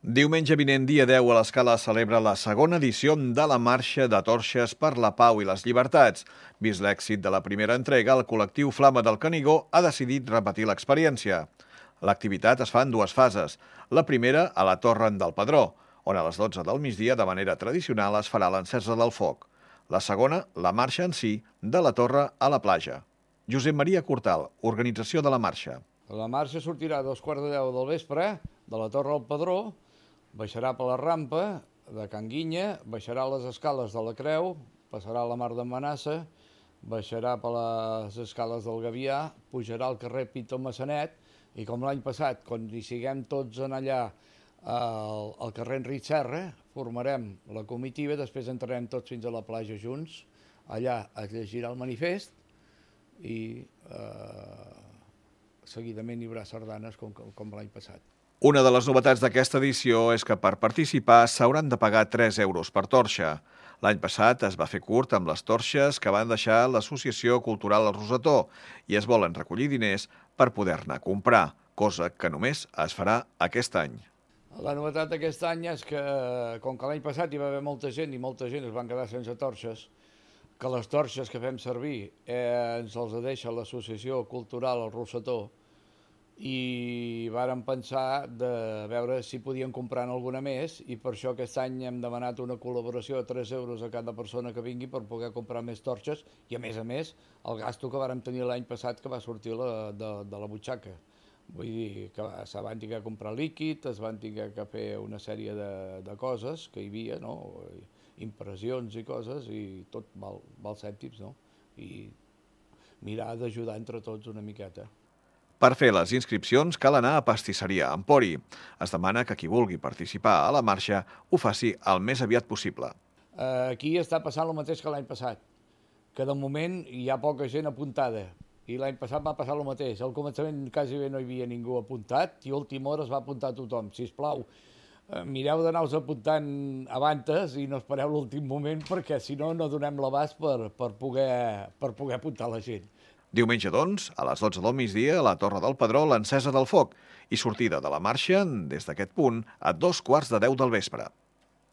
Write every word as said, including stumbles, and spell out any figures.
Diumenge vinent, dia deu, a l'Escala celebra la segona edició de la Marxa de Torxes per la Pau i les Llibertats. Vist l'èxit de la primera entrega, el col·lectiu Flama del Canigó ha decidit repetir l'experiència. L'activitat es fa en dues fases. La primera, a la Torre del Pedró, on a les dotze del migdia, de manera tradicional, es farà l'encesa del foc. La segona, la marxa en si, de la Torre a la platja. Josep Maria Cortal, organització de la marxa. La marxa sortirà a dos quarts de deu del vespre, de la Torre al Pedró, baixarà per la rampa de Can Guinya, baixarà les escales de la Creu, passarà la Mar de Manassa, baixarà per les escales del Gavià, pujarà al carrer Pito Massanet i com l'any passat, quan hi siguem tots en allà al, al carrer Enric Serra, formarem la comitiva, després entrarem tots fins a la platja junts, allà es llegirà el manifest i eh, seguidament hi haurà sardanes com, com l'any passat. Una de les novetats d'aquesta edició és que per participar s'hauran de pagar tres euros per torxa. L'any passat es va fer curt amb les torxes que van deixar l'Associació Cultural El Rosetó i es volen recollir diners per poder-ne comprar, cosa que només es farà aquest any. La novetat d'aquest any és que, com que l'any passat hi va haver molta gent i molta gent es van quedar sense torxes, que les torxes que fem servir eh, ens els deixa l'Associació Cultural El Rosetó, i vàrem pensar de veure si podíem comprar alguna més i per això aquest any hem demanat una col·laboració de tres euros a cada persona que vingui per poder comprar més torxes i a més a més el gasto que vàrem tenir l'any passat que va sortir la, de, de la butxaca. Vull dir que se van haver de comprar líquid, es van haver de fer una sèrie de, de coses que hi havia, no? Impressions i coses i tot val, val cèntims, no? I mirar d'ajudar entre tots una miqueta. Per fer les inscripcions cal anar a Pastisseria Empori. Es demana que qui vulgui participar a la marxa ho faci el més aviat possible. Aquí està passant el mateix que l'any passat, que de moment hi ha poca gent apuntada i l'any passat va passar el mateix. Al començament quasi bé no hi havia ningú apuntat i a última hora es va apuntar tothom. Sisplau, mireu d'anar-vos apuntant abans i no espereu l'últim moment perquè si no no donem l'abast per, per, poder, per poder apuntar la gent. Diumenge, doncs, a les dotze del migdia, a la Torre del Pedró, l'encesa del foc i sortida de la marxa des d'aquest punt a dos quarts de deu del vespre.